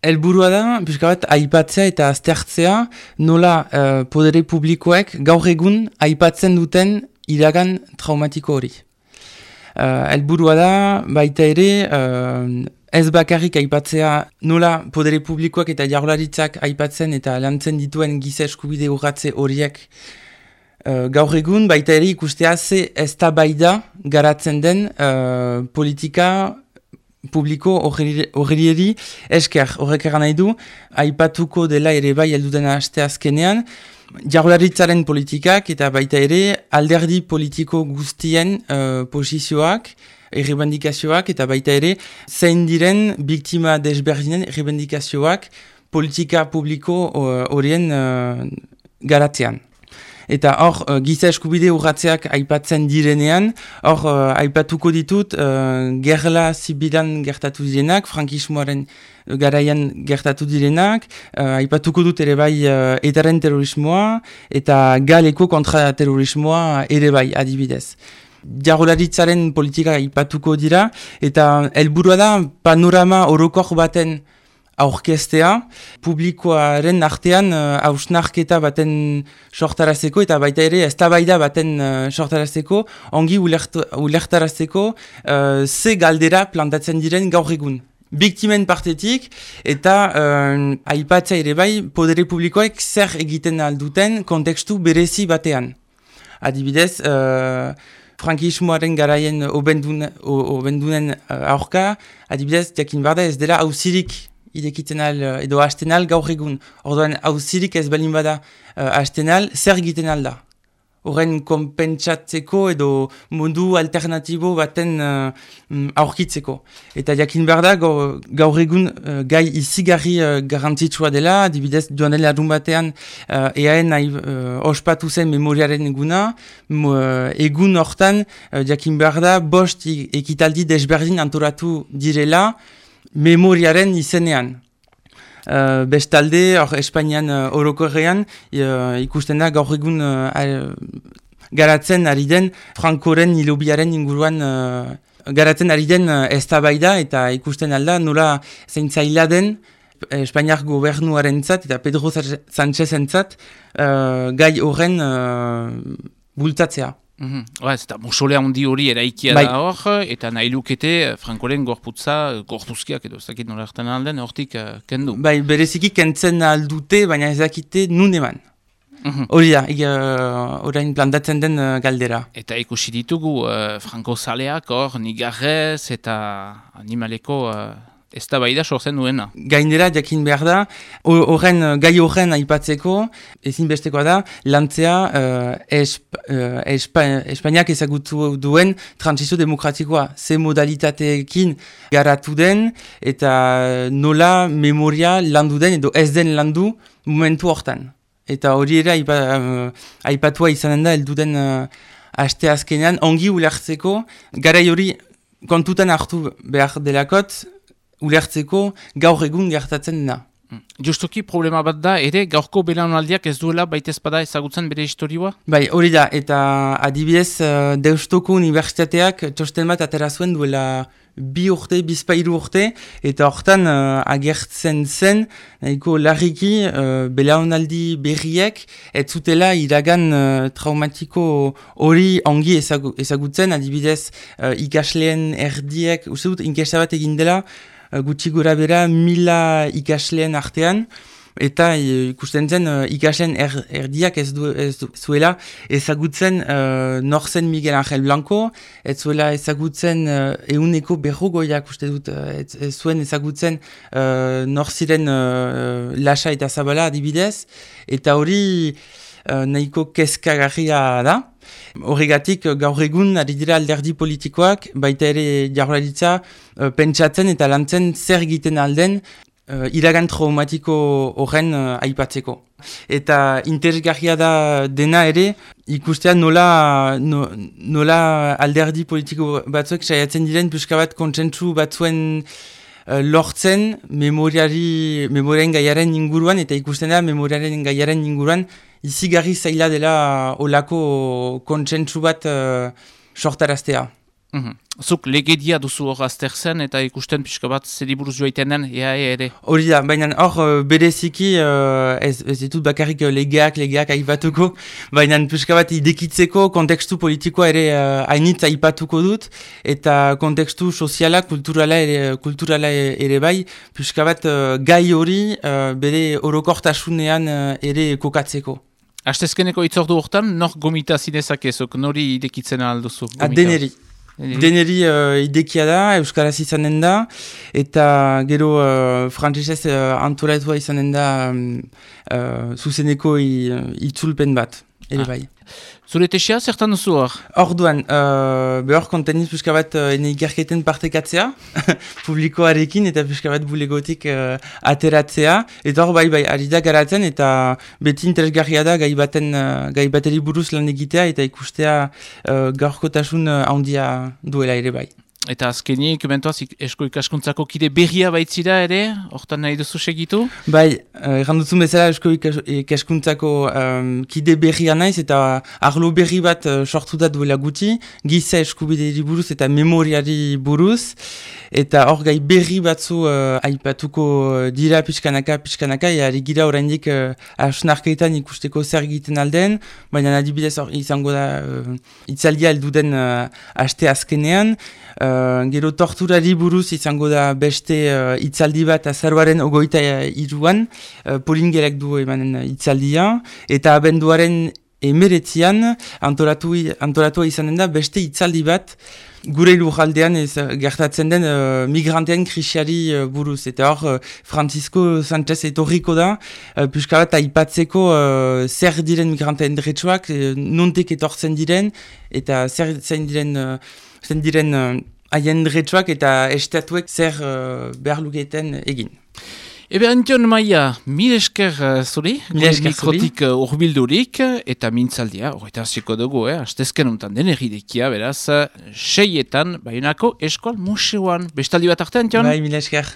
Helburua da, pixka bat, aipatzea eta aztertzea nola podere publikoek gaur egun aipatzen duten iragan traumatiko hori. Helburua da, baita ere, ez bakarrik aipatzea nola podere publikoak eta jaurlaritzak aipatzen eta lantzen dituen giza eskubide urratze horiek gaur egun, baita ere ikustea ze eztabaida garatzen den politika publiko horreri esker. Horrek eran nahi du, aipatuko dela ere bai helduden aste azkenean, jaurlaritzaren politikak eta baita ere alderdi politiko guztien posizioak, errebendikazioak eta baita ere zein diren biktima desberdinen errebendikazioak politika publiko horien garatzean. Eta hor, giza eskubide urratzeak aipatzen direnean, hor, aipatuko ditut, gerla zibilan gertatu direnak, frankismoaren garaian gertatu direnak, aipatuko dut ere bai etaren terrorismoa, eta galeko kontraterrorismoa ere bai adibidez. Jaurlaritzaren politika aipatuko dira, eta helburua da panorama orokor baten aurkeztea, publikoaren artean hausnarketa baten sortarazeko eta baita ere eztabaida baten sortarazeko, ongi ulertarazeko ze galdera plantatzen diren gaur egun. Biktimen partetik eta aipatzea ere bai podere publikoek zer egiten alduten kontekstu berezi batean. Adibidez, frankismoaren garaien obendunen aurka, adibidez, jakin barda ez dela auzirik idekitzen edo hasten gaur egun. Orduan, auzirik ez balin bada hasten zer egiten da? Horren konpentsatzeko edo modu alternatibo baten aurkitzeko. Eta jakin behar da, gaur egun gai izigarri garrantzitsua dela, adibidez joan den larun batean eaen ospatu zen memoriaren eguna, egun hortan jakin behar da, 5 ekitaldi desberdin antolatu direla, memoriaren izenean. Bestalde, Espainian orokorrean ikusten da gaur egun garatzen ari den Frankoren hilobiaren inguruan garatzen ari den eztabaida eta ikusten alda nola zeintzaila den Espainiar gobernuarentzat eta Pedro Sánchezentzat gai horren bultzatzea. Ez eta musolea handi hori eraikia da hor, eta nahi lukete Frankoren gorpuzkiak edo ez dakit nola hartan alden, hortik kendu. Bai, bereziki kentzen aldute, baina ez dakite nun eman. Hori da, orain plantatzen den galdera. Eta ikusi ditugu Franko zaleak hor, nigarrez eta animaleko ez da bai da sortzen duena. Gainera, jakin behar da, gai horren aipatzeko, ezinbestekoa da, lantzea Espainiak ezagutu duen transizio demokratikoa, ze modalitateekin garatu den, eta nola memoria landu den, edo ez den landu momentu hortan. Eta hori ere aipatua izanen da, helduden aste azkenean, ongi ulertzeko, garai hori kontutan hartu behar delakot, ulertzeko gaur egun gertatzen dena. Justuki problema bat da, ere gaurko belaunaldiak ez duela baitezpada ezagutzen bere historioa? Bai, hori da, eta adibidez Deustoko Unibertsitateak txosten bat atera zuen duela 2 urte, 2 urte, eta hortan agertzen zen, nahiko larriki belaunaldi berriek, ez zutela iragan traumatiko hori ongi ezagutzen, adibidez ikasleen erdiek, uste dut, inkesta bat egin dela, gutxi gora bera 1000 ikasleen artean, eta ikusten zen ikasleen erdiak ez zuela ezagutzen norzen Miguel Ángel Blanco, ez zuela ezagutzen 100% uste dut, ez zuen ezagutzen norziren Lasa eta Zabala adibidez, eta hori nahiko kezkagarria da. Horregatik gaur egun ari dira alderdi politikoak, baita ere jaurlaritza pentsatzen eta lantzen zer egiten alden iragan traumatiko horren aipatzeko. Eta interesgarria da dena ere ikustea nola alderdi politiko batzuek saiatzen diren pixka bat kontsentsu batzuen lortzen memoriaren gaiaren inguruan, eta ikusten da memoriaren gaiaren inguruan izigarri zaila dela olako kontsentsu bat sortaraztea. Zuk legedia duzu hor azterzen eta ikusten pixka bat zeri buruz joaiten den, ere? Hori da, baina hor bereziki ez ditut bakarrik legeak aipatuko, baina pixka bat idekitzeko kontekstu politikoa ere hainitz aipatuko dut, eta kontekstu soziala, kulturala ere bai, pixka bat gai hori bere orokortasunean ere kokatzeko. Astezkeneko itzordu hortan, nor gomita zinezakezok, nori idekitzen alduzu? Deneri. Deneri idekia da, euskaraz izanen da, eta gero frantsesez antolatua izanen da zuzeneko itzulpen bat, ere bai. Zure tesia, zertan duzu hor? Orduan, behor konteniz pixka bat ikerketen partekatzea, publikoarekin eta pixka bat bulegotik ateratzea, eta hor bai, ari da garatzen, eta beti interesgarria da gai bateri buruz lan egitea, eta ikustea gaurkotasun handia duela ere bai. Eta azkenik, mentoaz, esko ikaskuntzako kide berria baitzira ere, hortan nahi duzu segitu? Bai, erranduzun bezala esko ikaskuntzako kide berria naiz, eta arlo berri bat sortu da duela guti, giza eskubideri buruz eta memoriari buruz, eta hor gai berri batzu aipatuko dira pixkanaka, ari gira oraindik hausnarketan ikusteko zer egiten alden, baina adibidez hor izango da itzaldia helduden aste azkenean, gero torturari buruz izango da beste itzaldi bat azaroaren 23an, Polingerek du emanen itzaldia, eta abenduaren 19an antolatua izanen da beste itzaldi bat gure lurraldean gertatzen den migrantean krisiari buruz. Eta hor, Francisco Sánchez etorriko da, pixka bat aipatzeko zer diren migranteen dretsuak, nontek etortzen diren, eta zer diren haien dretsuak eta estatuek zer behar luketen egin. Ebe Antion Maia, mil esker zuri, mikrotik urbildurik, eta mintzaldia, horretan ziko dugu, astezken untan den erridekia, beraz, 6etan, Baionako Eskual Museoan. Bestaldi bat arte, Antion? Bai, mil esker.